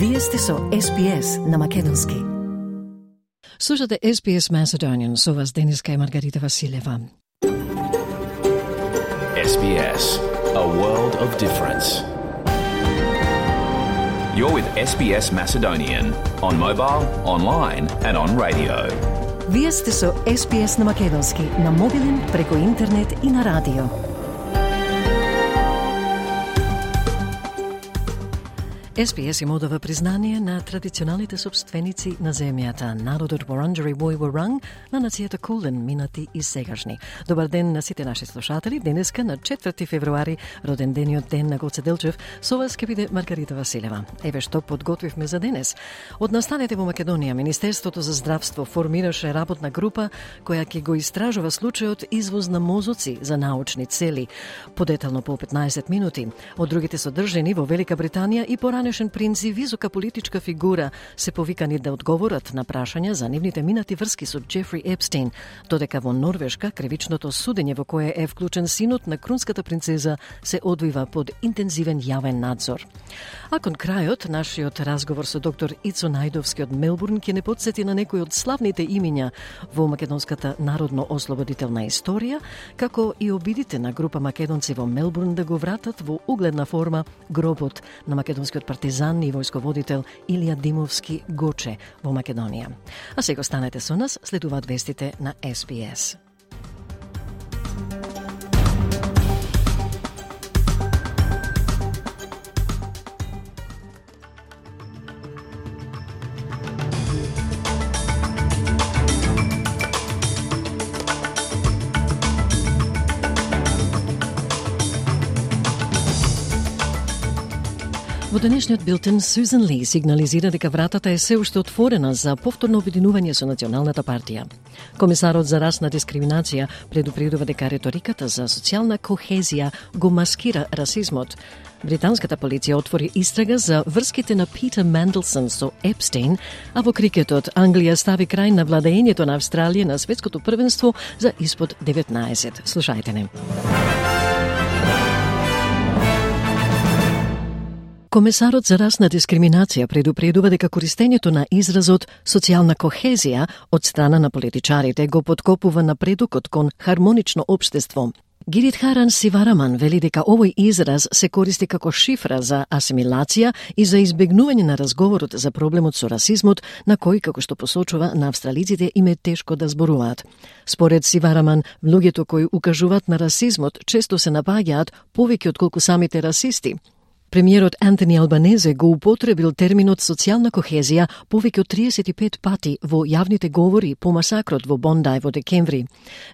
Вие сте со SPS на македонски. Слушате SPS Macedonian, со вас денеска е Маргарита Василева. SBS, a world of difference. You're with SBS Macedonian on mobile, online and on radio. Вие сте со SPS на македонски, на мобилен, преку интернет и на радио. SPS им одава признание на традиционалните собственици на земјата, народот Wurundjeri Woi Wurrung, на нацијата Кулен, минати и сегашни. Добар ден на сите наши слушатели. Денеска на 4 февруари, роден дениот ден на Гоце Делчев, со вас ќе биде Маргарита Василева. Еве што подготвивме за денес. Од настанете во Македонија, Министерството за здравство формираше работна група која ќе го истражува случајот извоз на мозоци за научни цели. Подетално по 15 минути. Од другите содржини во Велика Британија и поранешен принц и висока политичка фигура се повикани да одговорат на прашања за нивните минати врски со Джефри Епстейн, додека во Норвешка кривичното судење во кое е вклучен синот на крунската принцеза се одвива под интензивен јавен надзор. А кон крајот, нашиот разговор со доктор Ицо Најдовски од Мелбурн ќе не потсети на некои од славните имиња во македонската народно-ослободителна историја, како и обидите на група македонци во Мелбурн да го вратат во угледна форма гробот на македонскиот партизан и војсководител Илија Димовски Гоче во Македонија. А сега останете со нас, следуваат вестите на SBS. Во денешниот билтен, Сюзан Ли сигнализира дека вратата е се уште отворена за повторно обединување со Националната партија. Комисарот за расна дискриминација предупредува дека реториката за социјална кохезија го маскира расизмот. Британската полиција отвори истрага за врските на Питер Менделсон со Епстейн, а во крикетот Англија стави крај на владеењето на Австралија на светското првенство за испод 19. Слушајте не. Комесарот за расна дискриминација предупредува дека користењето на изразот социјална кохезија од страна на политичарите го подкопува напредокот кон хармонично општество. Гиридхаран Сивараман вели дека овој израз се користи како шифра за асимилација и за избегнување на разговорот за проблемот со расизмот, на кој, како што посочува, на австралиците им е тешко да зборуваат. Според Сивараман, луѓето кои укажуваат на расизмот често се напаѓаат повеќе отколку самите расисти. Премиерот Антони Албанезе го употребил терминот социјална кохезија повеќе од 35 пати во јавните говори по масакрот во Бондај во декември.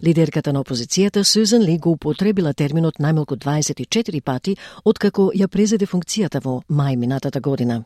Лидерката на опозицијата Сюзан Ли го употребила терминот најмалку 24 пати откако ја презеде функцијата во мај минатата година.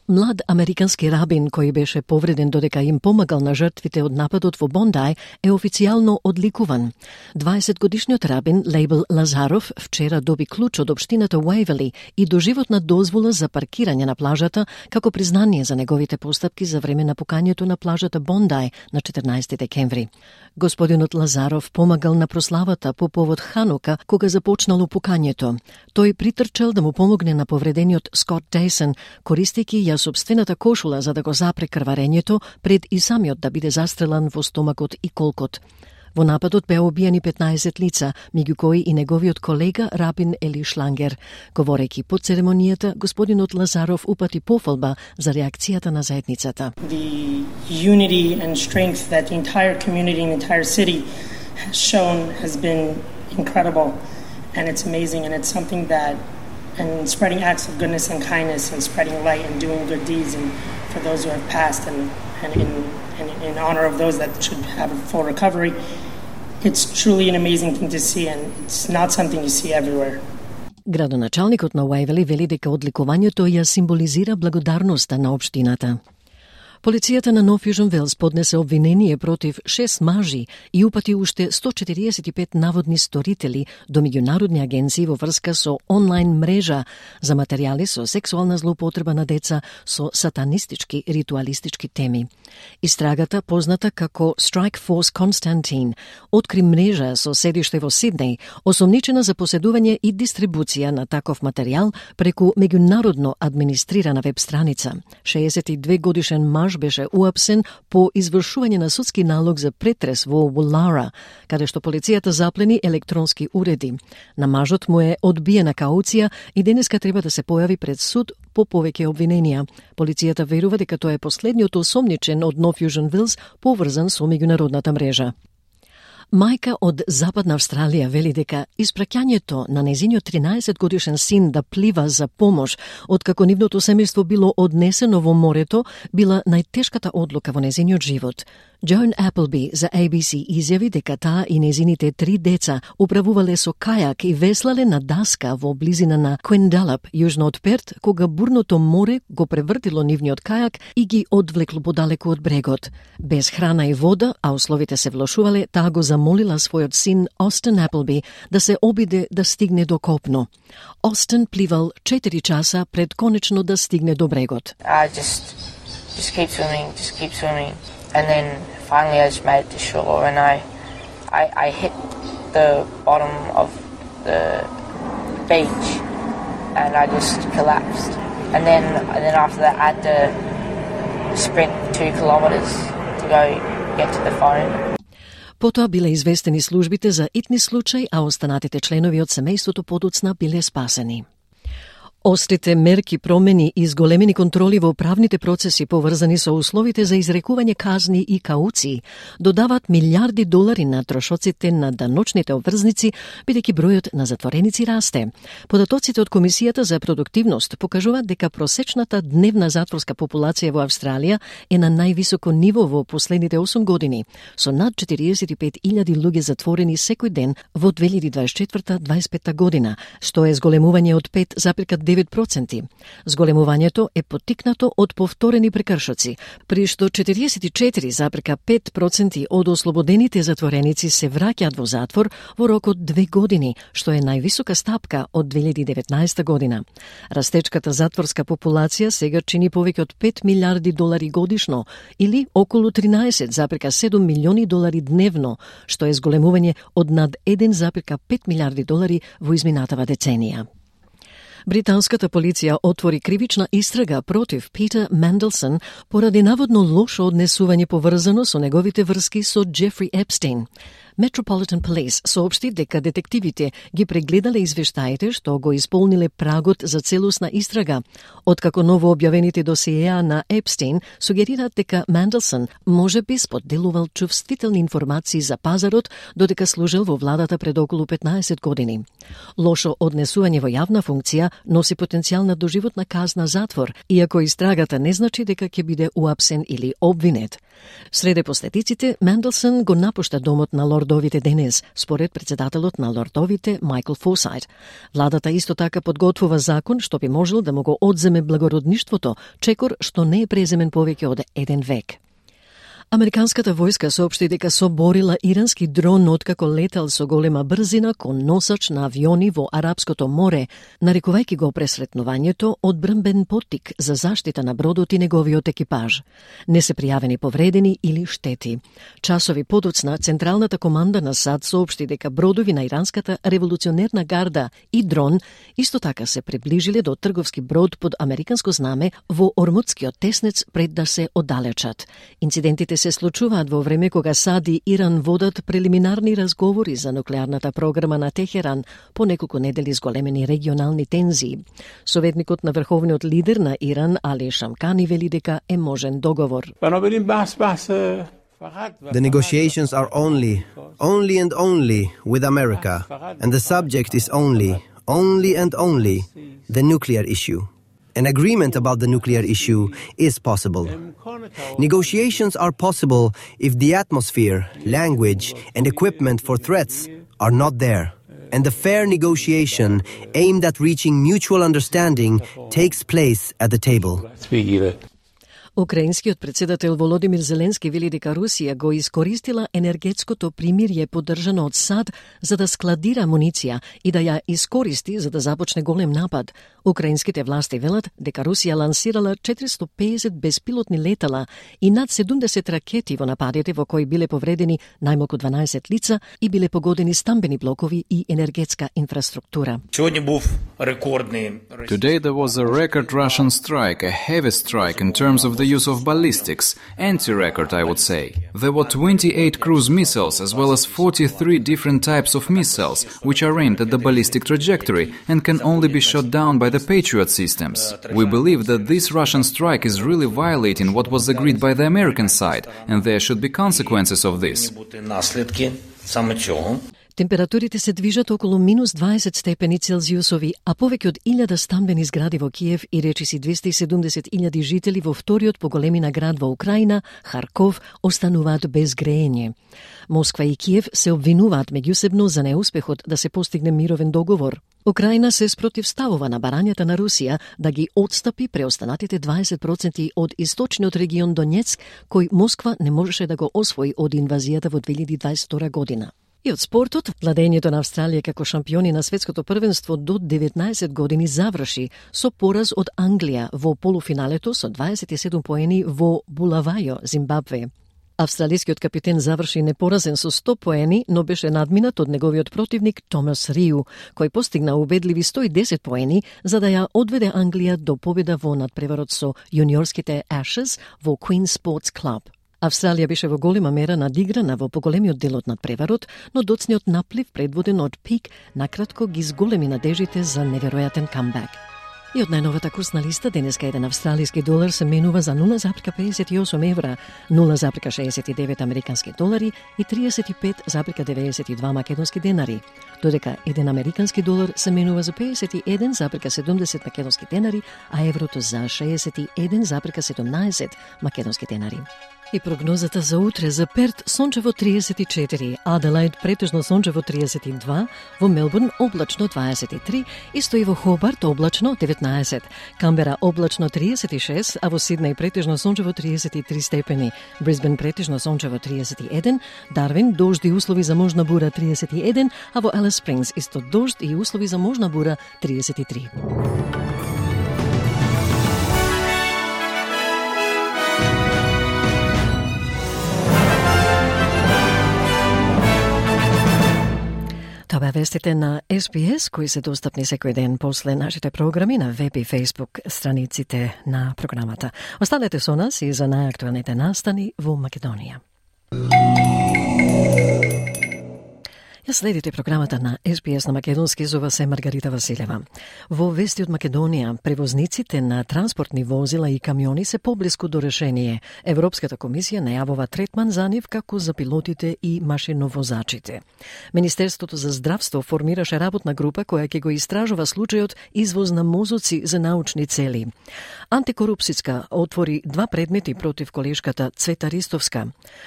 Млад американски рабин кој беше повреден додека им помагал на жртвите од нападот во Бондај е официјално одликуван. 20-годишниот рабин Лейбл Лазаров вчера доби клуч од општината Уейвели и доживотна дозвола за паркирање на плажата како признание за неговите постапки за време на пукањето на плажата Бондај на 14 декември. Господинот Лазаров помагал на прославата по повод Ханука кога започнало пукањето. Тој притрчал да му помогне на повредениот Скот Дейсон, користејќи ја собствената кошула за да го запре крварењето пред и самиот да биде застрелан во стомакот и колкот. Во нападот беа убиени 15 лица, меѓу кои и неговиот колега рабин Ели Шлангер. Говорејќи по церемонијата, господинот Лазаров упати пофалба за реакцијата на заедницата. The unity and strength that the entire community and the entire city has shown has been incredible, and it's amazing, and it's something that and spreading acts of goodness and kindness and spreading light and doing good deeds and for those who have passed and in honor of those that should have a full recovery. It's truly an amazing thing to see, and it's not something you see everywhere. Градоначалникот на Уейвели вели дека одликувањето ја символизира благодарноста на општината. Полицијата на Нов Јужен Велс поднесе обвинение против 6 мажи и упати уште 145 наводни сторители до меѓународни агенции во врска со онлайн мрежа за материјали со сексуална злоупотреба на деца со сатанистички ритуалистички теми. Истрагата, позната како Strike Force Constantine, откри мрежа со седиште во Сиднеј, осомничена за поседување и дистрибуција на таков материјал преку меѓународно администрирана веб страница. 62 годишен маж беше уапсен по извршување на судски налог за претрес во Woollahra, каде што полицијата заплени електронски уреди. На мажот му е одбиена кауција и денеска треба да се појави пред суд по повеќе обвиненија. Полицијата верува дека тоа е последниот осомничен од Нов Јужен Велс поврзан со меѓународната мрежа. Мајка од Западна Австралија вели дека испраќањето на незиниот 13 годишен син да плива за помош откако нивното семејство било однесено во морето била најтешката одлука во незиниот живот. Joan Appleby за ABC изјави дека таа и незините 3 деца управувале со кајак и веслале на даска во близина на Quendallup, јужно од Перт, кога бурното море го превртило нивниот кајак и ги одвлекло подалеку од брегот. Без храна и вода, а условите се влошувале, таа го замолила својот син Austin Appleby да се обиде да стигне до копно. Austin пливал 4 часа пред конечно да стигне до брегот. Just keep swimming. And then finally I just made it to shore and I hit the bottom of the beach and I just collapsed. And then after that I had to sprint 2 kilometers to go get to the phone. Потоа биле известени службите за итни случај, а останатите членови од семејството подоцна биле спасени. Острите мерки, промени и зголемени контроли во правните процеси поврзани со условите за изрекување казни и кауции додаваат милиарди долари на трошоците на даночните обврзници, бидејќи бројот на затвореници расте. Податоците од Комисијата за продуктивност покажуваат дека просечната дневна затворска популација во Австралија е на највисоко ниво во последните 8 години, со над 45.000 луѓе затворени секој ден во 2024-25 година, што е зголемување од 5,9%. Зголемувањето е поттикнато од повторени прекршоци, при што 44,5% од ослободените затвореници се враќаат во затвор во рок од 2 години, што е највисока стапка од 2019 година. Растечката затворска популација сега чини повеќе од 5 милиарди долари годишно, или околу 13,7 милиони долари дневно, што е зголемување од над 1,5 милиарди долари во изминатава деценија. Британската полиција отвори кривична истрага против Питер Менделсон поради наводно лошо однесување поврзано со неговите врски со Джефри Епстейн. Metropolitan Police соопшти дека детективите ги прегледале извештаите што го исполниле прагот за целосна истрага, откако ново објавените досиеа на Епстейн сугерираат дека Менделсон може би споделувал чувствителни информации за пазарот додека служел во владата пред околу 15 години. Лошо однесување во јавна функција носи потенцијал на доживотна казна затвор, иако истрагата не значи дека ќе биде уапсен или обвинет. Среде последиците, Менделсон го напушта домот на лордовите денес, според председателот на лордовите Майкл Форсайт. Владата исто така подготвува закон што би можел да му го одземе благородништвото, чекор што не е преземен повеќе од 1 век. Американската војска соопшти дека соборила ирански дрон откако летал со голема брзина кон носач на авиони во Арапското море, нарекувајќи го пресретнувањето одбранбен поттик за заштита на бродот и неговиот екипаж. Не се пријавени повредени или штети. Часови подоцна, Централната команда на САД соопшти дека бродови на иранската револуционерна гарда и дрон исто така се приближиле до трговски брод под американско знаме во Ормутскиот теснец пред да се оддалечат. Инцидентите се случуваат во време кога САД и Иран водат прелиминарни разговори за нуклеарната програма на Техеран по неколку недели зголемени регионални тензии. Советникот на врховниот лидер на Иран, Али Шамкани, вели дека е можен договор. The negotiations are only and only with America, and the subject is only and only the nuclear issue. An agreement about the nuclear issue is possible. Negotiations are possible if the atmosphere, language, and equipment for threats are not there, and the fair negotiation aimed at reaching mutual understanding takes place at the table. Украинскиот председател Володимир Зеленски вели дека Русија го искористила енергетското примирје поддржано од САД за да складира амуниција и да ја искористи за да започне голем напад. Украинските власти велат дека Русија лансирала 450 беспилотни летала и над 70 ракети во нападите во кои биле повредени најмалку 12 лица и биле погодени стамбени блокови и енергетска инфраструктура. Today there was a record Russian strike, a heavy strike in terms of the use of ballistics, anti-record I would say. There were 28 cruise missiles as well as 43 different types of missiles which are aimed at the ballistic trajectory and can only be shot down by the Patriot systems. We believe that this Russian strike is really violating what was agreed by the American side and there should be consequences of this. Температурите се движат околу минус 20 степени Целзиусови, а повеќе од 1000 стамбени згради во Киев и речиси 270.000 жители во вториот по големина град во Украина, Харков, остануваат без греење. Москва и Киев се обвинуваат меѓусебно за неуспехот да се постигне мировен договор. Украина се спротивставува на барањата на Русија да ги отстапи преостанатите 20% од источниот регион Донецк, кој Москва не можеше да го освои од инвазијата во 2022 година. И од спортот, владењето на Австралија како шампиони на светското првенство до 19 години заврши со пораз од Англија во полуфиналето со 27 поени во Булавајо, Зимбабве. Австралискиот капитен заврши непоразен со 100 поени, но беше надминат од неговиот противник Томас Риу, кој постигна убедливи 110 поени за да ја одведе Англија до победа во надпреварот со јуниорските Ashes во Queen Sports Club. Австралија беше во голема мера надиграна во поголемиот дел од надпреварот, но доцниот наплив предводен од Пик накратко ги зголеми надежите за неверојатен камбек. И од најновата курсна листа, денеска еден австралиски долар се менува за 0,58 евра, 0,69 американски долари и 35,92 македонски денари, додека еден американски долар се менува за 51,70 македонски денари, а еврото за 61,17 македонски денари. И прогнозата за утре: за Перт сончево 34, Аделаид претежно сончево 32, во Мелбурн облачно 23, исто и во Хобарт облачно 19, Камбера облачно 36, а во Сиднеј претежно сончево 33 степени, Брисбен претежно сончево 31, Дарвин дожд и услови за можна бура 31, а во Алис Спрингс исто дожд и услови за можна бура 33. Това беа вестите на SBS, кои се достапни секој ден после нашите програми на веб и фейсбук страниците на програмата. Останете со нас и за најактуелните настани во Македонија. Ја следите програмата на SBS на македонски, зова се Маргарита Василева. Во вести од Македонија, превозниците на транспортни возила и камиони се поблиску до решение. Европската комисија најавува третман за нив како за пилотите и машиновозачите. Министерството за здравство формираше работна група која ќе го истражува случајот извоз на мозоци за научни цели. Антикорупцијска отвори 2 предмети против колешката Цвета Ристовска.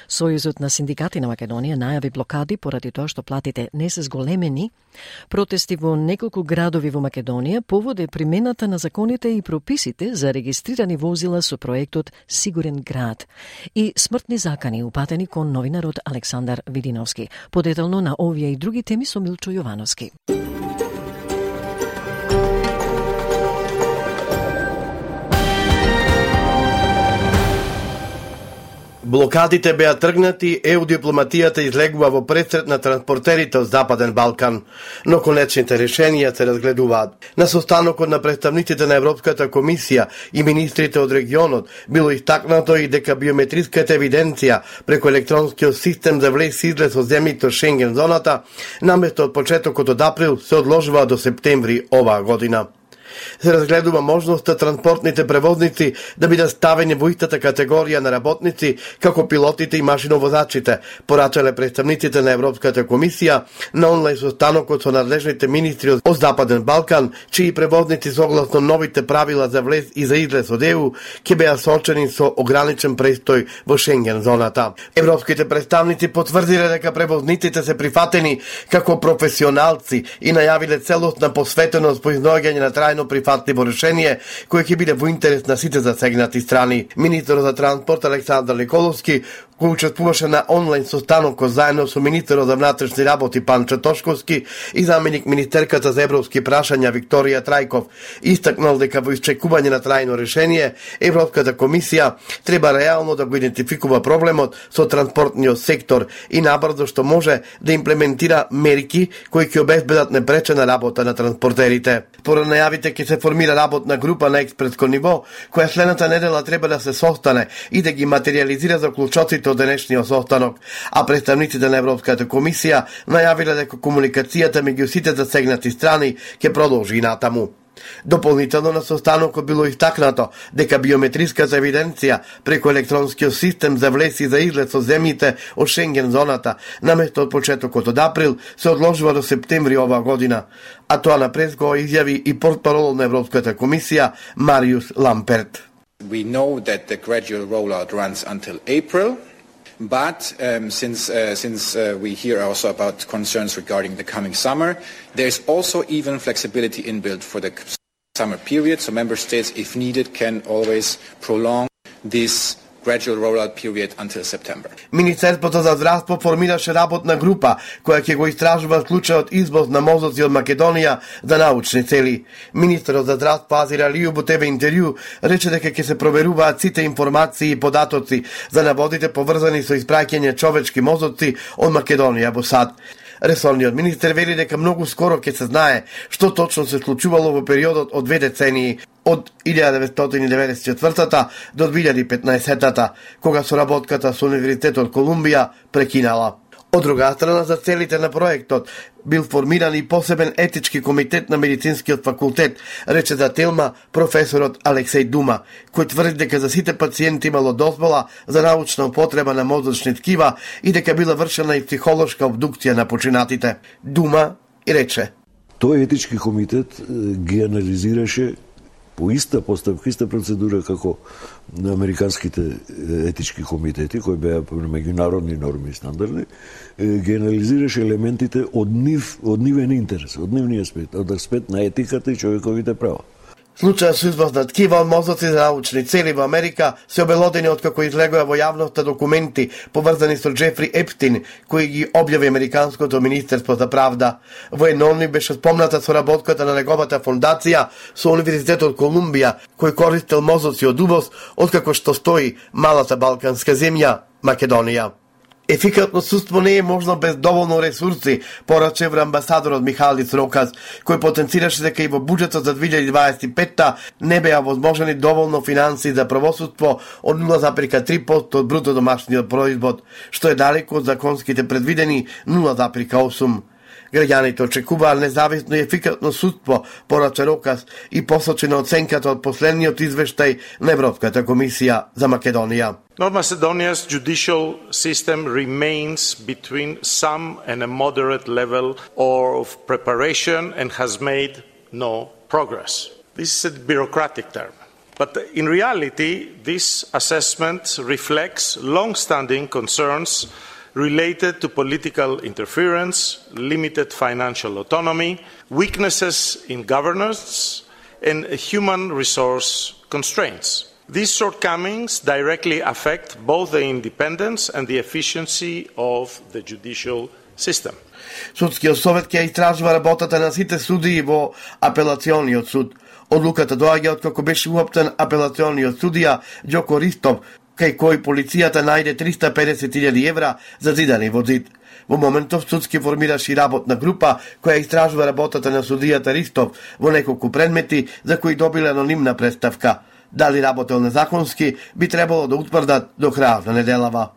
Сојузот на синдикати на Македонија најави блокади поради тоа што платите не се зголемени. Протести во неколку градови во Македонија повод е примената на законите и прописите за регистрирани возила со проектот Сигурен град и смртни закани упатени кон новинарот Александар Видиновски. Подетално на овие и други теми со Милчо Јовановски. Блокадите беа тргнати, ЕУ дипломатијата излегува во пресрет на транспортерите од Западен Балкан, но конечните решенија се разгледуваат. На состанокот на представниците на Европската комисија и министрите од регионот било истакнато и дека биометриската евиденција преку електронскиот систем за влез и излез од земјите од Шенген зоната, наместо од почетокот од април, се одложува до септември оваа година. Се разгледува можноста транспортните превозници да бидат ставени во истата категорија на работници како пилотите и машиновозачите, порачале представниците на Европската комисија на онлайн состанокот со надлежните министри од Западен Балкан, чии превозници согласно новите правила за влез и за излез од ЕУ ќе беа соочени со ограничен престој во Шенген зоната. Европските представници потврдиле дека превозниците се прифатени како професионалци и најавиле целосна посветеност по изнаоѓање на трајно прифатливо решение кое ќе биде во интерес на сите засегнати страни. Министерот за транспорт Александар Николовски, кој учествуваше на онлайн состанокот заедно со министерот за внатрешни работи Панчо Тошковски и заменик министерката за европски прашања Викторија Трајков, истакнал дека во исчекување на трајно решение Европската комисија треба реално да го идентификува проблемот со транспортниот сектор и набрзо што може да имплементира мерки кои ќе обезбедат непречена работа на транспортерите. Според најавите ќе се формира работна група на експертско ниво, која следната недела треба да се состане и да ги материјализира заклучоците од денешниот состанок, а представниците на Европската комисија најавиле дека комуникацијата меѓу сите засегнати страни ќе продолжи и натаму. Дополнително на состанокот било истакнато дека биометриската евиденција преку електронскиот систем за влез и за излез со земјите од Шенген зоната наместо од почетокот од април се одложува до септември оваа година, а тоа напред го изјави и портпарол на Европската комисија Мариус Ламперт. We know that the gradual rollout runs until April. But since we hear also about concerns regarding the coming summer, there's also even flexibility inbuilt for the summer period. So member states, if needed, can always prolong this gradual rollout period until September. Министерството за здравство формираше работна група која ќе го истражува случајот извоз на мозоци од Македонија за научни цели. Министерот за здравство Азир Алију во ТВ интервју рече дека ќе се проверуваат сите информации и податоци за наводите поврзани со испраќање човечки мозоци од Македонија во САД. Ресорниот министер вели дека многу скоро ќе се знае што точно се случувало во периодот од 2 децении, од 1994 до 2015, кога соработката со Универзитетот Колумбија прекинала. Од друга страна, за целите на проектот бил формиран и посебен етички комитет на медицинскиот факултет, рече за Телма професорот Алексеј Дума, кој тврди дека за сите пациенти имало дозвола за научна употреба на мозочни ткива и дека била вршена и психолошка обдукција на починатите. Дума и рече: Тој етички комитет ги анализираше по иста поставка, иста процедура како на американските етички комитети, кои беа по меѓународни норми и стандарди, ги анализираше елементите од нивен интерес, од нивниот аспект, од аспект на етиката и човековите права. Случајот со извоз на ткива од мозоци за научни цели во Америка се обелодени откако излегоа во јавноста документи поврзани со Джефри Епстин, кои ги објави Американското министерство за правда. Во еднони беше спомната соработката на неговата фондација со Универзитетот Колумбија, кој користел мозоци од увоз откако што стои малата балканска земја Македонија. Ефикатно судство не е можно без доволно ресурси, пораче амбасадорот Михалис Роказ, кој потенцираше дека и во буџетот за 2025 не беа возможени доволно финанси за правосудство од 0,3% од бруто домашниот производ, што е далеко од законските предвидени 0,8%. Граѓаните очекуваа независно и ефикатно судство, порача Роказ и посочи на оценката од последниот извештај на Европската комисија за Македонија. North Macedonia's judicial system remains between some and a moderate level of preparation and has made no progress. This is a bureaucratic term. But in reality, this assessment reflects long-standing concerns related to political interference, limited financial autonomy, weaknesses in governance, and human resource constraints. These shortcomings directly affect both the independence and the efficiency of the judicial system. Судскиот совет ќе истражува работата на сите судии во апелациониот суд. Одлуката доаѓа откако беше уаптен апелациониот судија Ѓоко Ристов, кај кој полицијата најде 350.000 евра зазидани во зид. Во моментов судски формираше и работна група која истражува работата на судијата Ристов во неколку предмети за кои добиле анонимна представка. Дали работел незаконски би требало да утврдат до крајот на неделава.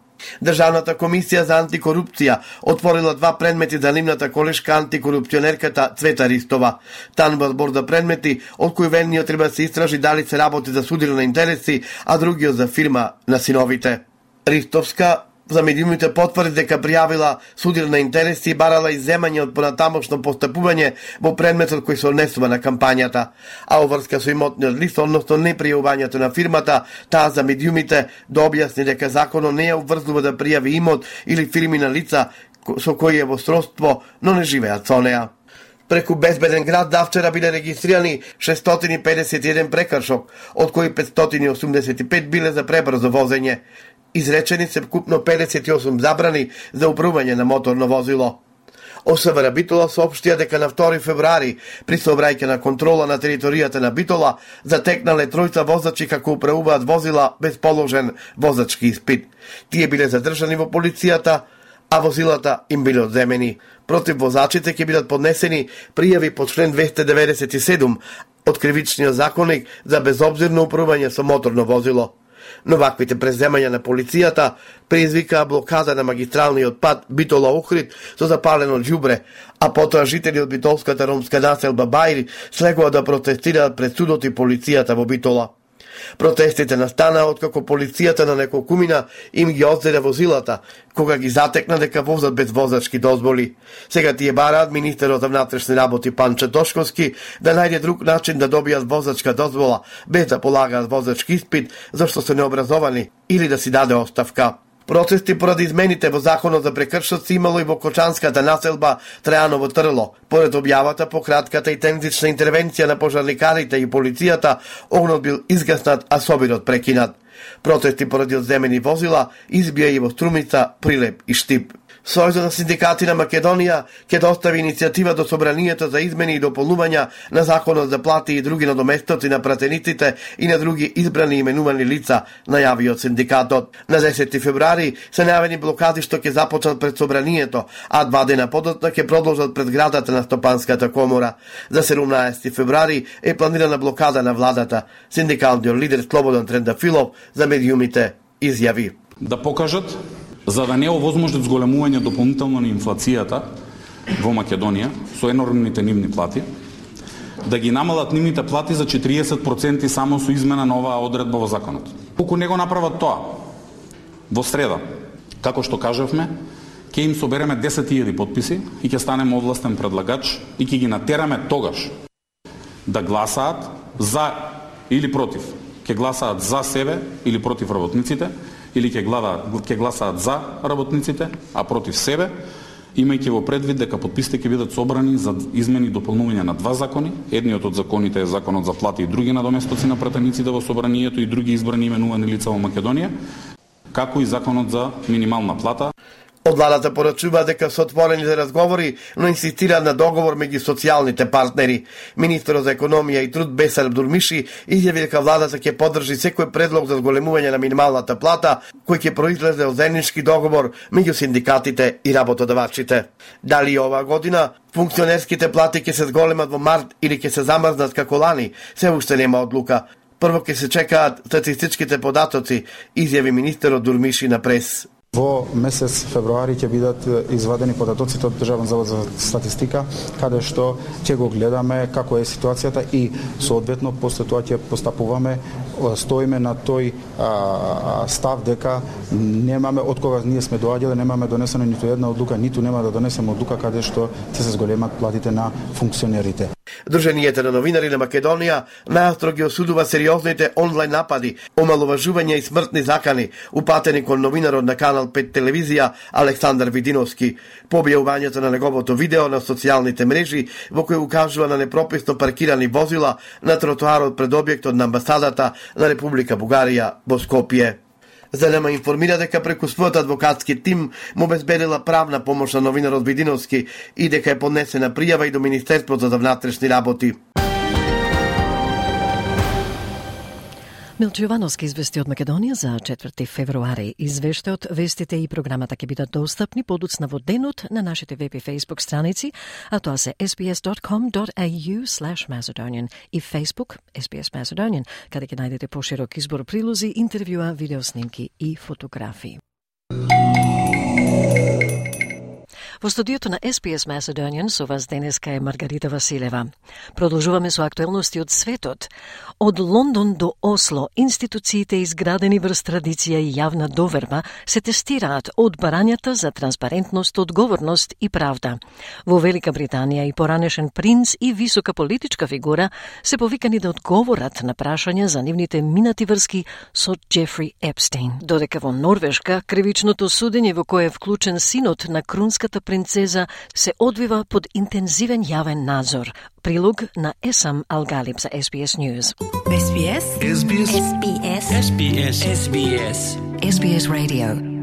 Државната комисија за антикорупција отворила 2 предмети за нивната колешка антикорупционерката Цвета Ристова. Танува збор за предмети од кои ведниот треба да се истражи дали се работи за судир на интереси, а другиот за фирма на синовите. Ристовска за медиумите потврди дека пријавила судир на интереси и барала изземање од понатамошно постапување во предметот кој се однесува на кампањата, а оврска со имотниот лист, односно непријавувањето на фирмата, таа за медиумите да објасни дека законот не ја обврзува да пријави имот или фирми на лица со кои е во сродство, но не живеат со неа. Преку безбеден град давчера биле регистрирани 651 прекршок, од кои 585 биле за пребрзо возење. Изречени се вкупно 58 забрани за управување на моторно возило. ОСВР Битола соопштија дека на 2 февруари при сообраќајна контрола на територијата на Битола затекнале тројца возачи како управуваат возила без положен возачки испит. Тие биле задржани во полицијата, а возилата им биле одземени. Против возачите ќе бидат поднесени пријави по член 297 од Кривичниот законник за безобзирно управување со моторно возило. Но ваквите преземања на полицијата предизвикаа блокада на магистралниот пат Битола-Охрид со запалено ѓубре, а потоа жители од битолската ромска населба Бајри слегува да протестираат пред судот и полицијата во Битола. Протестите настанаа откако полицијата на неколкумина им ги одзеде возилата, кога ги затекна дека возат без возачки дозволи. Сега тие бараат министерот за внатрешни работи Панче Тошковски да најде друг начин да добијат возачка дозвола без да полагаат возачки испит, зашто се необразовани, или да си даде оставка. Протести поради измените во законот за прекршоци имало и во кочанската населба Трајаново Трло. Поред објавата по кратката и тензична интервенција на пожарникарите и полицијата, огнот бил изгаснат, а собирот прекинат. Протести поради одземени возила избија и во Струмица, Прилеп и Штип. Сојузот на синдикати на Македонија ќе достави иницијатива до собранието за измени и дополнувања на законот за плати и други надоместоци на пратениците и на други избрани и именувани лица, најави од синдикатот. На 10 февруари се најавени блокади што ќе започнат пред собранието, а 2 дена подоцна ќе продолжат пред градата на Стопанската комора. За 17 февруари е планирана блокада на владата. Синдикалниот лидер Слободан Трендафилов за медиумите изјави: да покажат за да не овозможат зголемување дополнително на инфлацијата во Македонија со енормните нивни плати, да ги намалат нивните плати за 40% само со измена на оваа одредба во законот. Колку не го направат тоа во среда, како што кажавме, ќе им собереме 10.000 подписи и ќе станеме овластен предлагач и ќе ги натераме тогаш да гласаат за или против. Ќе гласаат за себе или против работниците, или ќе гласаат за работниците, а против себе, имајќи во предвид дека подписите ќе бидат собрани за измени и дополнување на 2 закони. Едниот од законите е законот за плати и други надоместоци на пратениците во собранието и други избрани именувани лица во Македонија, како и законот за минимална плата. Од владата порачува дека се отворени за разговори, но инсистира на договор меѓу социјалните партнери. Министерот за економија и труд Бесар Дурмиши изјави дека владата ќе поддржи секој предлог за зголемување на минималната плата, кој ќе произлезе од заеднички договор меѓу синдикатите и работодавачите. Дали оваа година функционерските плати ќе се зголемат во март или ќе се замрзнат како лани, се уште нема одлука. Прво ќе се чекаат статистичките податоци, изјави министерот Дурмиши на прес. Во месец февруари ќе бидат извадени податоците од Државен завод за статистика, каде што ќе го гледаме како е ситуацијата и соодветно после тоа ќе постапуваме, стоиме на тој став дека немаме од кога ние сме доаѓале, немаме донесено ниту една одлука, ниту нема да донесеме одлука каде што ќе се зголемат платите на функционерите. Друженијата на новинари на Македонија најостро ги осудува сериозните онлайн напади, омаловажувања и смртни закани упатени кон новинарот на Канал 5 телевизија Александар Видиновски по објавувањето на неговото видео на социјалните мрежи во кој укажува на непрописно паркирани возила на тротоарот пред објектот на амбасадата на Република Бугарија во Скопје. ЗНМ информира дека преку својот адвокатски тим му обезбедила правна помош на новинарот Видиновски и дека е поднесена пријава и до Министерството за внатрешни работи. Милчо Јовановски извести од Македонија за 4 февруари. Извештајот, вестите и програмата ќе бидат достапни подоцна во денот на нашите веб и Facebook страници, а тоа се sbs.com.au/Macedonian и Facebook SBS Macedonian, каде ќе најдете поширок избор прилози, интервјуа, видеоснимки и фотографии. Во студиото на SBS Macedonian со вас денеска е Маргарита Василева. Продолжуваме со актуелности од светот. Од Лондон до Осло, институциите изградени врз традиција и јавна доверба се тестираат од барањата за транспарентност, одговорност и правда. Во Велика Британија и поранешен принц и висока политичка фигура се повикани да одговорат на прашања за нивните минати врски со Джефри Епстейн. Додека во Норвешка кривичното судење во кое е вклучен синот на крунската принцеза се одвива под интензивен јавен надзор. Прилог на Есам Алгалиб за SBS News. SBS. SBS. SBS. SBS. SBS. SBS Radio.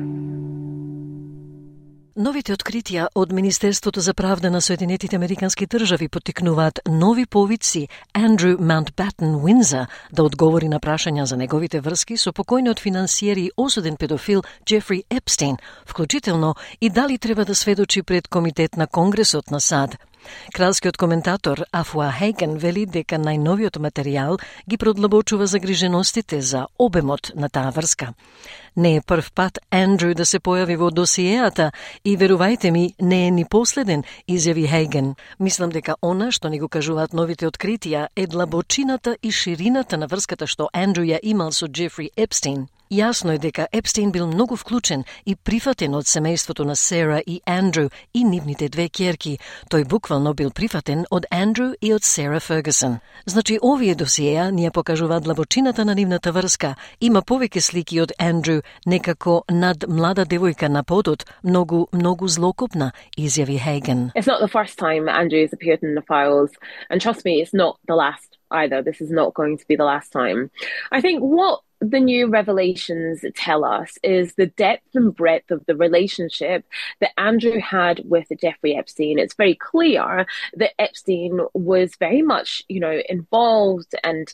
Новите откритија од Министерството за правда на Соединетите Американски држави поттикнуваат нови повици Андрю Маунтбатен Уинза да одговори на прашања за неговите врски со покојниот финансиер и осуден педофил Джефри Епстейн, вклучително и дали треба да сведочи пред Комитет на Конгресот на САД. Кралскиот коментатор Афуа Хейген вели дека најновиот материјал ги продлабочува загриженостите за обемот на таа врска. Не е прв пат Андрю да се појави во досиеата и верувајте ми, не е ни последен, изјави Хейген. Мислам дека она што ни го кажуваат новите откритија е длабочината и ширината на врската што Андрю ја имал со Джефри Епстейн. Јасно е дека Епстейн бил многу вклучен и прифатен од семејството на Сера и Андрю и нивните две ќерки. Тој буквално бил прифатен од Андрю и од Сера Фергюсон. Значи, овие досиеа ни ја покажуваат длабочината на нивната врска. Има повеќе слики од Андрю, некако над млада девојка на подот, многу злокопна, изјави Хейген. It's not the first time Andrew has appeared in the files, and trust me, it's not the last either. This is not going to be the last time. I think what the new revelations tell us is the depth and breadth of the relationship that Andrew had with Jeffrey Epstein. It's very clear that Epstein was very much, involved and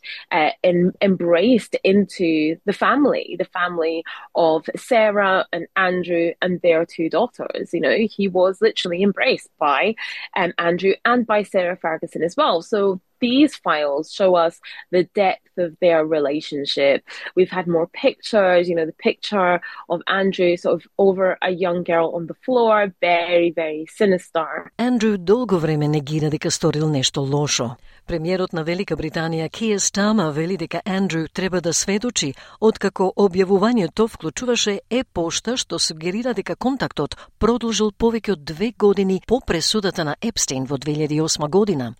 embraced into the family of Sarah and Andrew and their two daughters. He was literally embraced by Andrew and by Sarah Ferguson as well. So these files show us the depth of their relationship. We've had more pictures, the picture of Andrew sort of over a young girl on the floor, very, very sinister. Андрю долго време негира дека сторил нешто лошо. Премиерот на Велика Британија Киер Стама вели дека Андрю треба да сведочи, откако објавувањето вклучуваше пошта што сугерира дека контактот продолжил повеќе од 2 години по пресудата на Епстейн во 2008 година.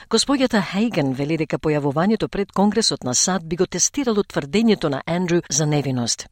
Господјата Хейген вели дека појавувањето пред Конгресот на САД би го тестирало тврдењето на Андрю за невиност.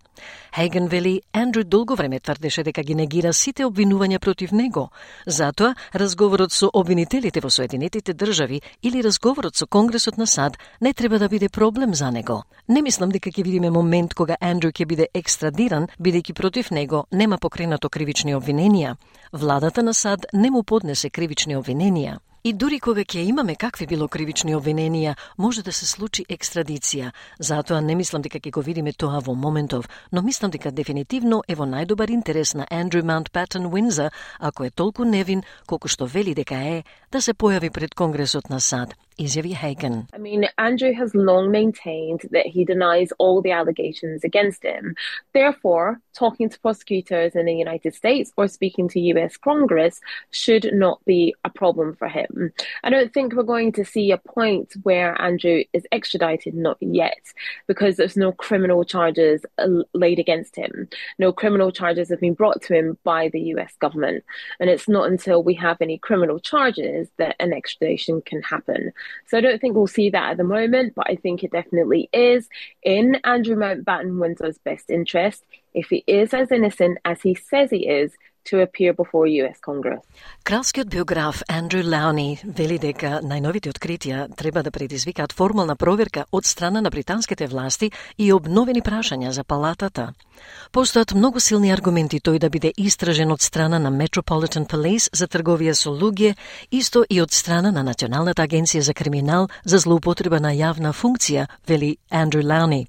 Хейген вели Андрю долго време тврдеше дека ги негира сите обвинувања против него. Затоа, разговорот со обвинителите во Соединетите држави или разговорот со Конгресот на САД не треба да биде проблем за него. Не мислам дека ќе видиме момент кога Андрю ќе биде екстрадиран, бидејќи против него нема покренато кривични обвиненија. Владата на САД не му поднесе кривични обвиненија. И дури кога ќе имаме какви било кривични обвиненија, може да се случи екстрадиција. Затоа не мислам дека ќе го видиме тоа во моментов, но мислам дека дефинитивно е во најдобар интерес на Андрю Маунтбатен Уинза, ако е толку невин колку што вели дека е, да се појави пред Конгресот на САД, изјави Хейген. I mean, Andrew has long maintained that he denies all the allegations against him. Therefore, talking to prosecutors in the United States or speaking to US Congress should not be a problem for him. I don't think we're going to see a point where Andrew is extradited, not yet, because there's no criminal charges laid against him. No criminal charges have been brought to him by the US government. And it's not until we have any criminal charges that an extradition can happen. So I don't think we'll see that at the moment, but I think it definitely is in Andrew Mountbatten Windsor's best interest, if he is as innocent as he says he is, to appear before US Congress. Кралскиот биограф Андрю Лауни вели дека најновите откритија треба да предизвикаат формална проверка од страна на британските власти и обновени прашања за палатата. Постојат многу силни аргументи тој да биде истражен од страна на Metropolitan Police за трговија со луѓе, исто и од страна на Националната агенција за криминал за злоупотреба на јавна функција, вели Андрю Лауни.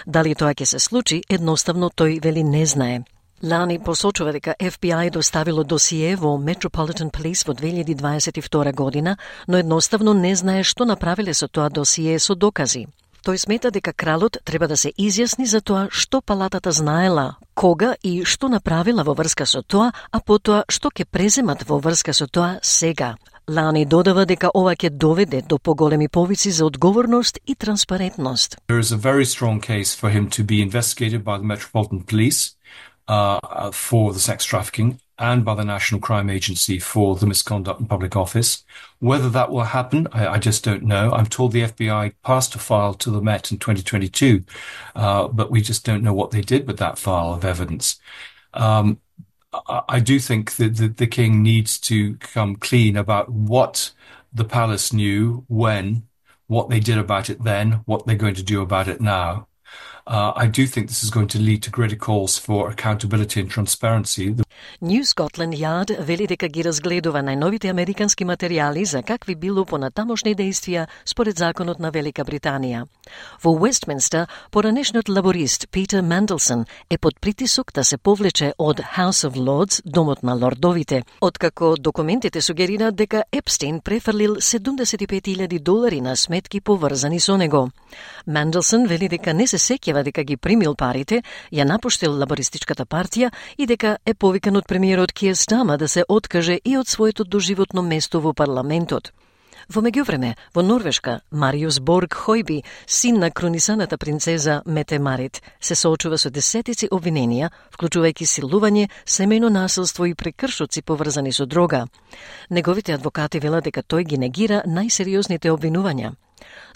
Дали тоа ќе се случи, едноставно тој вели не знае. Лани посочува дека FBI доставило досие во Metropolitan Police во 2022 година, но едноставно не знае што направиле со тоа досие со докази. Тој смета дека кралот треба да се изјасни за тоа што палатата знаела, кога и што направила во врска со тоа, а потоа што ќе преземат во врска со тоа сега. Лани додава дека ова ќе доведе до поголеми повици за одговорност и транспарентност. There is a very strong case for him to be investigated by the Metropolitan Police for the sex trafficking and by the National Crime Agency for the misconduct in public office. Whether that will happen, I just don't know. I'm told the FBI passed a file to the Met in 2022, but we just don't know what they did with that file of evidence. I do think that the king needs to come clean about what the palace knew, when, what they did about it then, what they're going to do about it now. I do think this is going to lead to greater calls for accountability and transparency. New Scotland Yard вели дека ги разгледува најновите американски материјали за какви било понатамошни действија според законот на Велика Британија. Во Westminster, поранешниот лаборист Питер Манделсон е под притисок да се повлече од House of Lords, домот на лордовите, откако документите сугерираат дека Епстейн префрлил $75,000 на сметки поврзани со него. Манделсон вели дека не се сеќава дека ги примил парите, ја напуштил лабористичката партија и дека е повикан од премиерот Киер Стама да се откаже и од своето доживотно место во парламентот. Во меѓувреме, во Норвешка, Мариус Борг Хојби, син на кронисаната принцеза Мете Марит, се соочува со десетици обвиненија, вклучувајќи силување, семејно насилство и прекршоци поврзани со дрога. Неговите адвокати велат дека тој ги негира најсериозните обвинувања.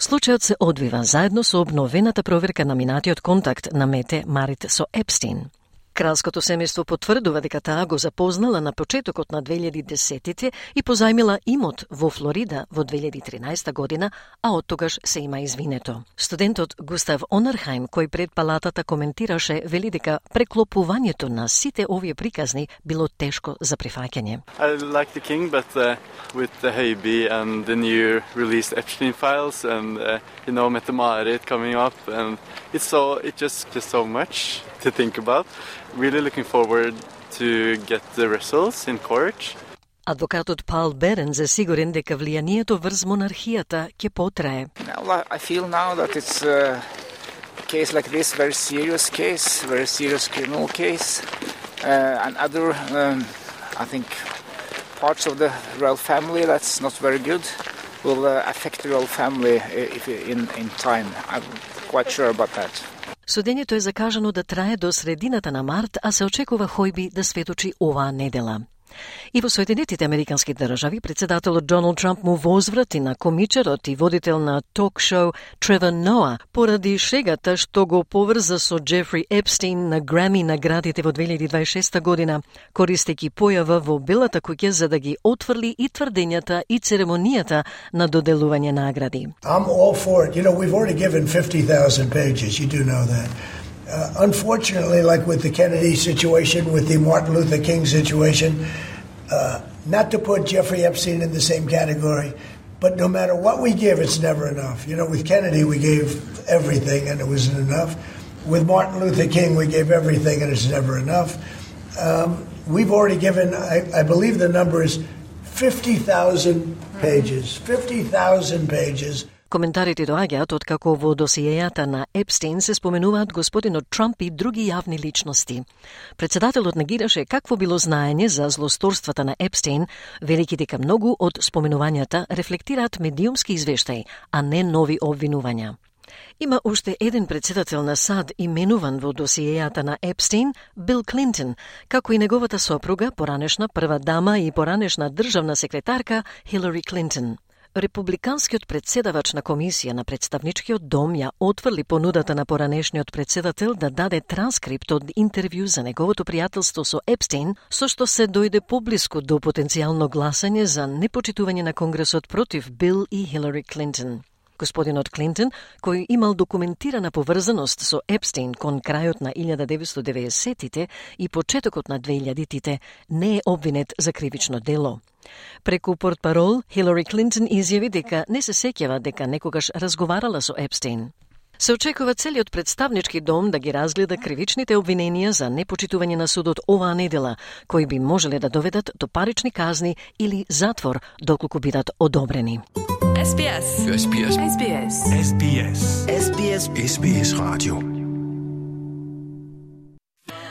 Случајот се одвива заедно со обновената проверка на минатиот контакт на Мете Марит со Епстейн. Кралското семејство потврдува дека таа го запознала на почетокот на 2010-тите и позајмила имот во Флорида во 2013 година, а од тогаш се има извинето. Студентот Густав Онерхайм, кој пред палатата коментираше, вели дека преклопувањето на сите овие приказни било тешко за прифаќање. I like the king, but with the Høiby and the new released Epstein files and Mette Marit coming up, and it's just so much to think about. Really looking forward to get the results in court. Адвокатот Паул Беренс е сигурен дека влијанието врз монархијата ќе потрае. I feel now that it's a case like this, very serious criminal case, and other, I think, parts of the royal family that's not very good will affect the royal family if in time. I'm quite sure about that. Судењето е закажано да трае до средината на март, а се очекува Хојби да сведочи оваа недела. И во Соединетите Американски држави, председателот Доналд Трамп му возврати на комичарот и водител на ток-шоу Тревор Ноа поради шегата што го поврза со Джефри Епстейн на Грами наградите во 2026 година, користејќи појава во Белата куќа за да ги отфрли и тврдењата и церемонијата на доделување награди. I'm all for it. You know, we've already given 50,000 pages. You do know that. Unfortunately, like with the Kennedy situation, with the Martin Luther King situation, not to put Jeffrey Epstein in the same category, but no matter what we give, it's never enough. You know, with Kennedy, we gave everything and it wasn't enough. With Martin Luther King, we gave everything and it's never enough. We've already given, I believe the number is 50,000 pages. 50,000 pages. Коментарите доаѓаат откако во досиејата на Епстейн се споменуваат господинот Трамп и други јавни личности. Председателот негираше какво било знаење за злосторствата на Епстейн, велики дека многу од споменувањата рефлектираат медиумски извештаи, а не нови обвинувања. Има уште еден председател на САД именуван во досиејата на Епстейн, Бил Клинтон, како и неговата сопруга, поранешна прва дама и поранешна државна секретарка Хилари Клинтон. Републиканскиот председавач на комисија на представничкиот дом ја отфрли понудата на поранешниот председател да даде транскрипт од интервју за неговото пријателство со Епстейн, со што се дојде поблиску до потенцијално гласање за непочитување на Конгресот против Бил и Хилари Клинтон. Господинот Клинтон, кој имал документирана поврзаност со Епстейн кон крајот на 1990-тите и почетокот на 2000-тите, не е обвинет за кривично дело. Преку портпарол, Хилари Клинтон изјави дека не се сеќава дека некогаш разговарала со Епстейн. Се очекува целиот представнички дом да ги разгледа кривичните обвиненија за непочитување на судот оваа недела, кои би можеле да доведат до парични казни или затвор доколку бидат одобрени. SBS. SBS. SBS. SBS. SBS. SBS Radio.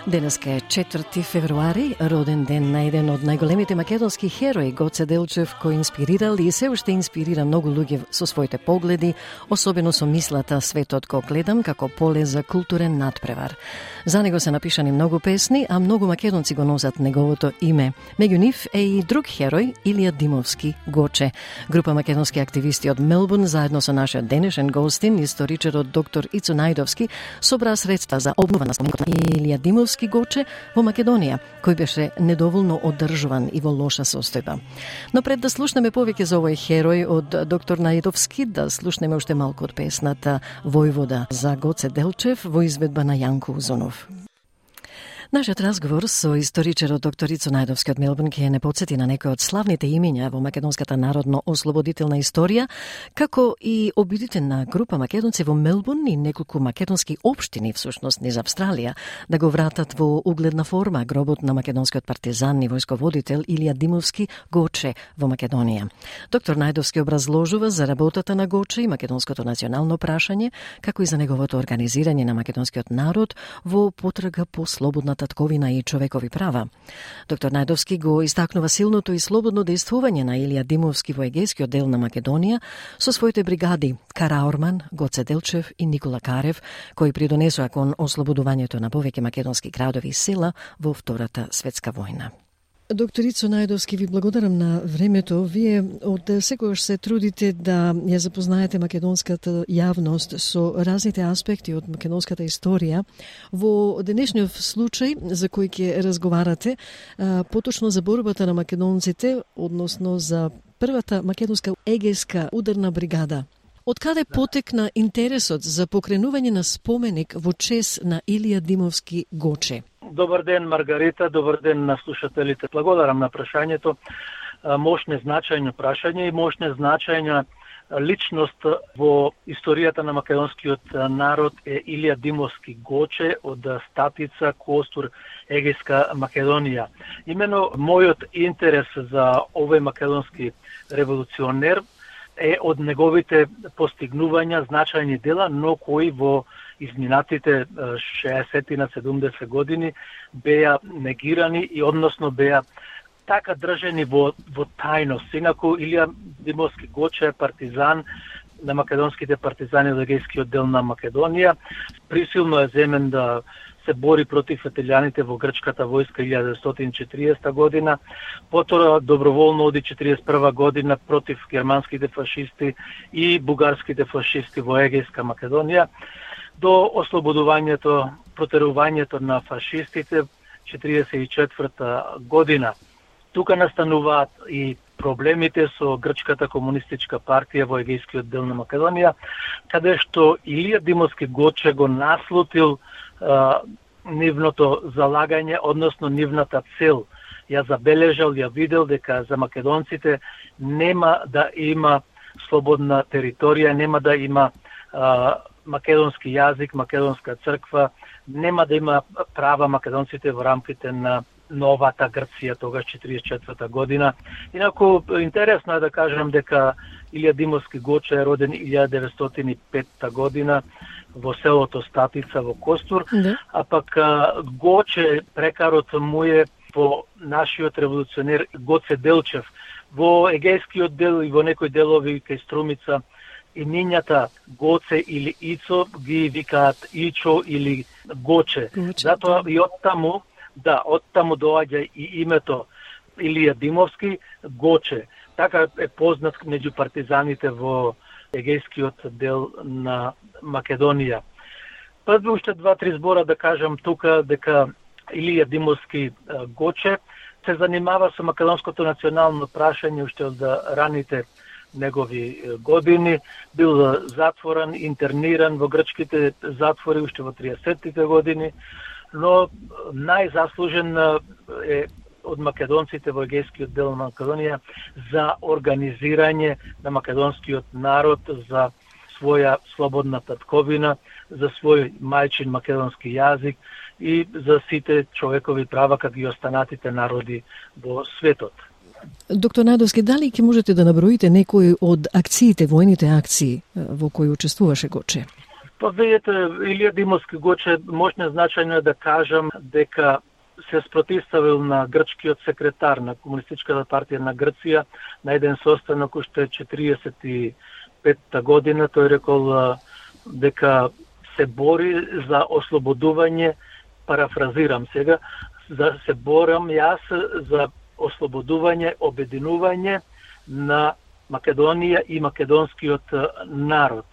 Денеска е 4 февруари, роден ден на еден од најголемите македонски херои, Гоце Делчев, кој инспирирал и се уште инспирира многу луѓе со своите погледи, особено со мислата "Светот го гледам" како поле за културен надпревар. За него се напишани многу песни, а многу македонци го носат неговото име. Меѓу нив е и друг херој, Илија Димовски, Гоче. Група македонски активисти од Мелбурн, заедно со нашиот денешен гостин, историчарот доктор Ицо Најдовски, собраа средства за обнова на споменикот на Илија Димовски Димовски Гоче во Македонија, кој беше недоволно одржуван и во лоша состојба. Но пред да слушнеме повеќе за овој херој од доктор Најдовски, да слушнеме уште малку од песната Војвода за Гоце Делчев во изведба на Јанко Узунов. Нашиот разговор со историчарот доктор Ицо Најдовски од Мелбурн ќе не потсети на некои од славните имиња во македонската народно-ослободителна историја, како и обидите на група македонци во Мелбурн и неколку македонски општини, всушност низ Австралија, да го вратат во угледна форма гробот на македонскиот партизан и војсководител Илија Димовски Гоче во Македонија. Доктор Најдовски образложува за работата на Гоче и македонското национално прашање, како и за неговото организирање на македонскиот народ во потрага по слободна татковина и човекови права. Доктор Најдовски го истакнува силното и слободно дејствување на Илија Димовски во егејскиот дел на Македонија со своите бригади Караорман, Гоце Делчев и Никола Карев, кои придонесоа кон ослободувањето на повеќе македонски градови и села во Втората светска војна. Доктор Ицо Најдовски, ви благодарам на времето. Вие од секогаш се трудите да ја запознаете македонската јавност со разните аспекти од македонската историја. Во денешниот случај за кој ќе разговарате, поточно за борбата на македонците, односно за првата македонска егејска ударна бригада. Од каде потекна интересот за покренување на споменик во чест на Илија Димовски Гоче? Добар ден, Маргарита, добар ден на слушателите. Благодарам на прашањето. Мощне значајно прашање и мощне значајна личност во историјата на македонскиот народ е Илија Димовски Гоче од Статица, Костур, егејска Македонија. Имено мојот интерес за овој македонски револуционер е од неговите постигнувања, значајни дела, но кои во изминатите 60 на 70 години беа негирани и односно беа така држени во тајност. Инаку Илија Димовски Гоче е партизан на македонските партизани од егејскиот дел на Македонија. Присилно е земен да се бори против италијаните во грчката војска 1940 година, потора доброволно оди 41 година против германските фашисти и бугарските фашисти во егејска Македонија, до ослободувањето, протерувањето на фашистите 1944 година. Тука настануваат и проблемите со грчката комунистичка партија во егејскиот дел на Македонија, каде што Илија Димовски Гоче го наслутил нивното залагање, односно нивната цел. Ја забележал, ја видел дека за македонците нема да има слободна територија, нема да има македонски јазик, македонска црква, нема да има права македонците во рамките на новата Грција, тогаш 44 година. Инаку, интересно е да кажам дека Илија Димовски Гоче е роден 1905 година во селото Статица во Костур, а пак Гоче прекарот му е по нашиот револуционер Гоце Делчев. Во егејскиот дел и во некои делови кај Струмица имињата Гоце или Ицо ги викаат Ичо или Гоче. Затоа и оттаму доаѓа и името Илија Димовски Гоче. Така е познат меѓу партизаните во егејскиот дел на Македонија. Пред уште 2-3 збора да кажам тука дека Илија Димовски Гоче се занимава со македонското национално прашање уште од раните негови години, бил затворен, интерниран во грчките затвори уште во 30-тите години, но најзаслужен е од македонците во егејскиот дел на Македонија за организирање на македонскиот народ, за своја слободна татковина, за свој мајчин македонски јазик и за сите човекови права како и останатите народи во светот. Доктор Најдовски, дали ќе можете да наброите некои од акциите, војните акции во кои учествуваше Гоче? Па видите, Илија Димовски Гоче можне значајно е да кажам дека се спротивставил на грчкиот секретар на Комунистичката партија на Грција на еден состанок уште 45-та година. Тој рекол дека се бори за ослободување, парафразирам сега, се борам јас за ослободување, обединување на Македонија и македонскиот народ.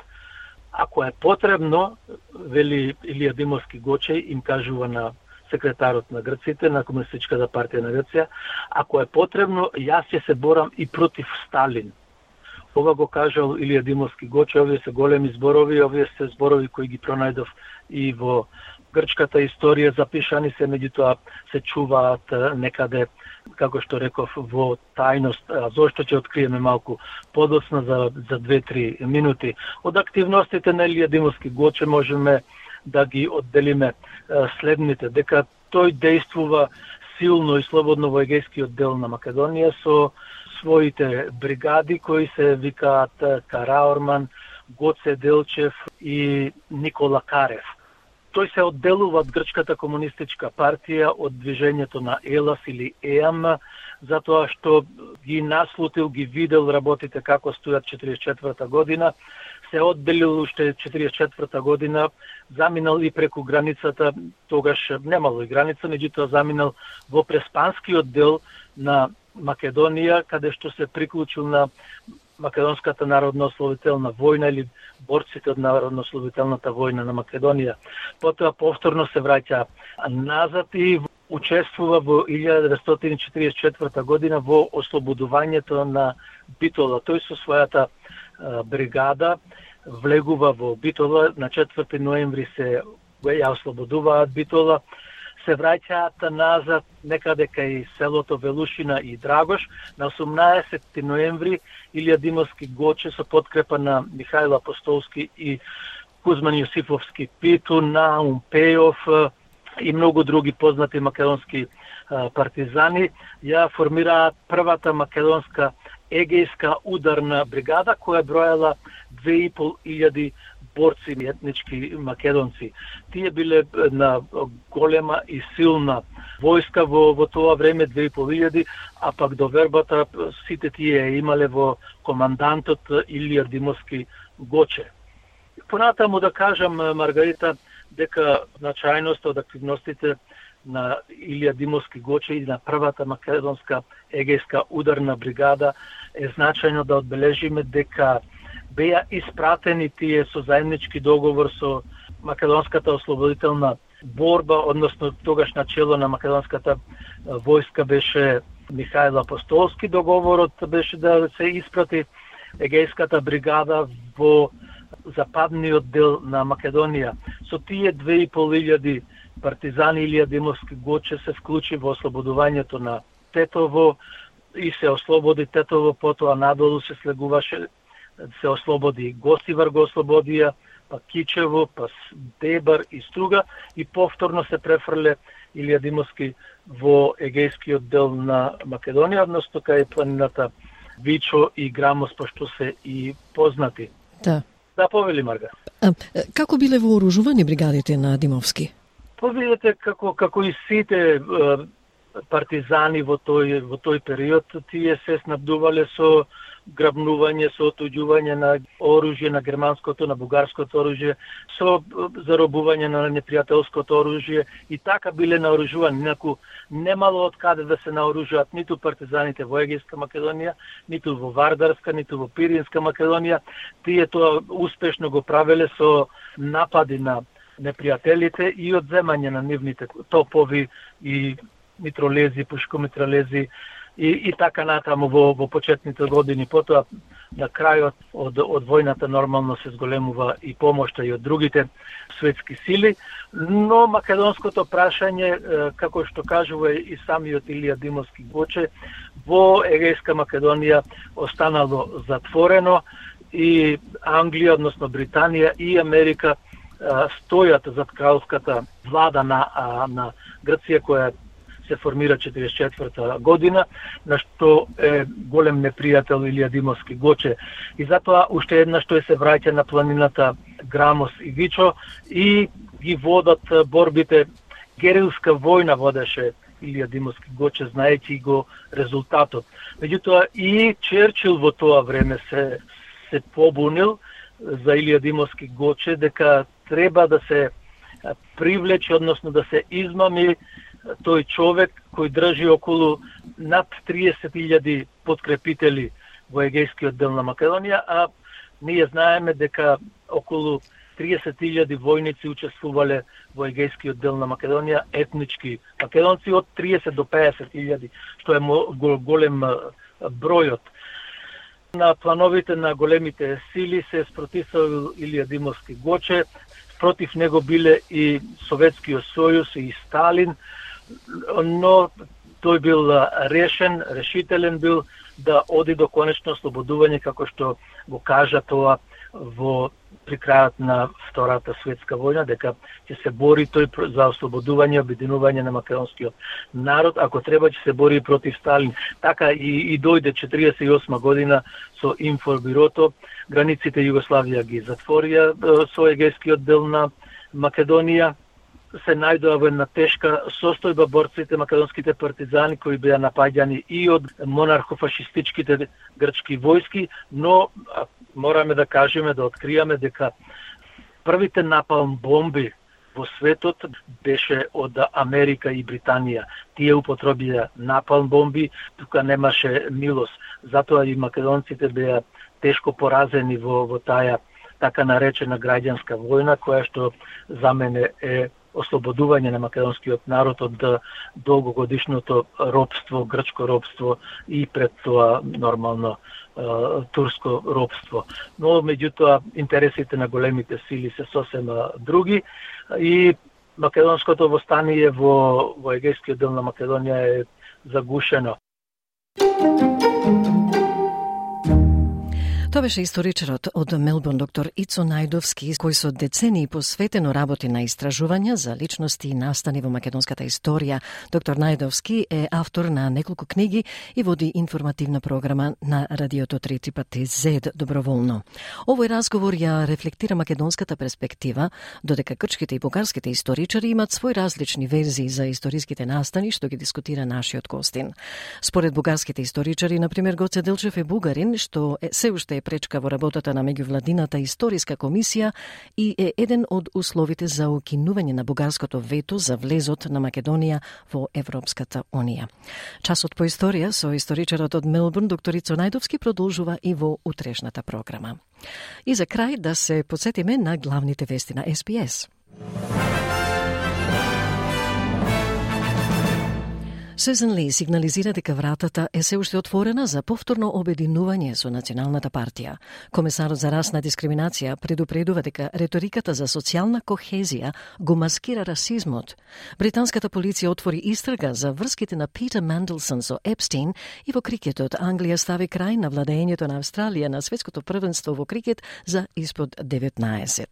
Ако е потребно, вели Илија Димовски Гоче, им кажува на секретарот на грците, на Комунистичката партија на Грција. Ако е потребно, јас ќе се борам и против Сталин. Ова го кажал Илија Димовски Гоче, овие се големи зборови, овие се зборови кои ги пронајдов и во грчката историја, запишани се, меѓутоа се чуваат некаде, како што реков, во тајност. Зошто ќе откриеме малку подоцна за 2-3 минути. Од активностите на Илија Димовски Гоче можеме да ги одделиме следните, дека тој действува силно и слободно во егејскиот дел на Македонија со своите бригади кои се викаат Караорман, Гоце Делчев и Никола Карев. Тој се одделува од Грчката комунистичка партија, од движењето на ЕЛАС или ЕАМ, затоа што ги наслутил, ги видел работите како стојат 44 година, се одделил уште 44 година, заминал и преку границата, тогаш немало и граница, меѓутоа заминал во Преспанскиот дел на Македонија, каде што се приклучил на Македонската народно-ослободителна војна или борците од народно-ослободителната војна на Македонија. Потоа повторно се враќа назад и учествува во 1944 година во ослободувањето на Битола. Тој со својата бригада влегува во Битола, на 4 ноември се ја ослободуваат Битола, се враќаат назад некаде кај селото Велушина и Драгош. На 18 ноември Илија Димовски Гоче со подкрепа на Михајло Апостолски и Кузман Јосифовски Питу, Наум Пејов и многу други познати македонски партизани ја формираат првата македонска егејска ударна бригада која бројала 2500 борци етнички македонци. Тие биле на голема и силна војска во тоа време, 2500, а пак до вербата сите тие имале во командантот Илија Димовски Гоче. Понатаму да кажам, Маргарита, дека значајноста од активностите на Илија Димовски Гоче и на првата македонска егејска ударна бригада е значајно да одбележиме дека беа испратени тие со заеднички договор со Македонската ослободителна борба, односно тогаш начело на македонската војска беше Михајло Апостолски. Договорот беше да се испрати егејската бригада во западниот дел на Македонија. Со тие 2500 партизани Илија Димовски Гоче се вклучи во ослободувањето на Тетово и се ослободи Тетово, потоа надолу се слегуваше, се ослободи Гостивар, го ослободија, па Кичево, па Дебар и Струга и повторно се префрле Илија Димовски во егејскиот дел на Македонија, односно кај планината Вичо и Грамос, пошто се и познати. Да. Да, повели, Марга. Како биле вооружувани бригадите на Димовски? Видите како и сите партизани во тој период, тие се снабдувале со грабнување, со отуѓување на оружје, на германското, на бугарското оружје, со заробување на непријателското оружје и така биле наоружувани. Инаку немало од каде да се наоружуваат ниту партизаните во Егејска Македонија, ниту во Вардарска, ниту во Пиринска Македонија. Тие тоа успешно го правеле со напади на непријателите и одземање на нивните топови и митролези, пушкомитралези и така натаму во почетните години. Потоа на крајот од војната нормално се зголемува и помошта и од другите светски сили, но македонското прашање, како што кажува и самиот Илија Димовски Гоче, во Егејска Македонија останало затворено и Англија, односно Британија и Америка стојат зад кралската влада на Грција која се формира 44 година, на што е голем непријател Илија Димовски Гоче. И затоа уште еднаш тој се враќа на планината Грамос и Вичо и ги водат борбите. Герилска војна водеше Илија Димовски Гоче, знаејќи го резултатот. Меѓутоа и Черчил во тоа време се побунил за Илија Димовски Гоче дека треба да се привлече, односно да се измами тој човек кој држи околу над 30.000 подкрепители во егејскиот дел на Македонија, а ние знаеме дека околу 30.000 војници учествувале во егејскиот дел на Македонија, етнички македонци од 30 до 50.000, што е голем бројот. На плановите на големите сили се спротивил Илија Димовски Гоче, против него биле и Советскиот сојуз и Сталин, но тој бил решителен бил да оди до конечно ослободување, како што го кажа тоа при крајот на Втората светска војна, дека ќе се бори тој за ослободување, обединување на македонскиот народ, ако треба ќе се бори против Сталин. Така и дојде 48 година со информбирото, границите Југославија ги затворија со егејскиот дел на Македонија, се најдоа во една тешка состојба борците македонските партизани кои беа напаѓани и од монархофашистичките грчки војски, но мораме да кажеме, да откриеме дека првите напалм бомби во светот беше од Америка и Британија. Тие употребија напалм бомби, тука немаше милост. Затоа и македонците беа тешко поразени во таа така наречена граѓанска војна, која што за мене е ослободување на македонскиот народ од долгогодишното робство, грчко робство и пред тоа нормално турско робство. Но меѓутоа интересите на големите сили се сосем други и македонското востание во егејскиот дел на Македонија е загушено. Тоа беше историчарот од Мелбурн, доктор Ицо Најдовски, кој со децении посветено работи на истражувања за личности и настани во македонската историја. Доктор Најдовски е автор на неколку книги и води информативна програма на радиото 3 пати Z доброволно. Овој разговор ја рефлектира македонската перспектива, додека грчките и бугарските историчари имат свои различни верзии за историските настани што ги дискутира нашиот гостин. Според бугарските историчари, например, Гоце Делчев е бугарин, што се уште е пречка во работата на меѓувладината историска комисија и е еден од условите за укинување на бугарското вето за влезот на Македонија во Европската унија. Часот по историја со историчарот од Мелбурн, доктор Ицо Најдовски, продолжува и во утрешната програма. И за крај да се потсетиме на главните вести на SBS. Сюзан Ли сигнализира дека вратата е се уште отворена за повторно обединување со Националната партија. Комесарот за расна дискриминација предупредува дека реториката за социјална кохезија го маскира расизмот. Британската полиција отвори истрага за врските на Питер Манделсон со Епстин и во крикетот Англија стави крај на владењето на Австралија на светското првенство во крикет за испод 19.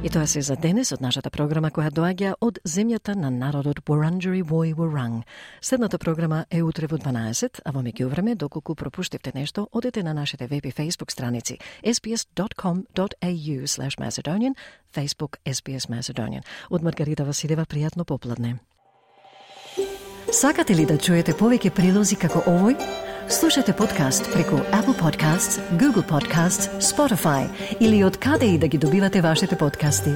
И тоа се за денес од нашата програма која доаѓа од земјата на народот Wurundjeri Woi Wurrung. Следната програма е утре во 12, а во меѓувреме, доколку пропуштивте нешто, одете на нашите веб и Facebook страници sbs.com.au/Macedonian, Facebook SBS Macedonian. Од Маргарита Василева, пријатно попладне. Сакате ли да чуете повеќе прилози како овој? Слушате подкаст преку Apple Podcasts, Google Podcasts, Spotify или од каде и да ги добивате вашите подкасти.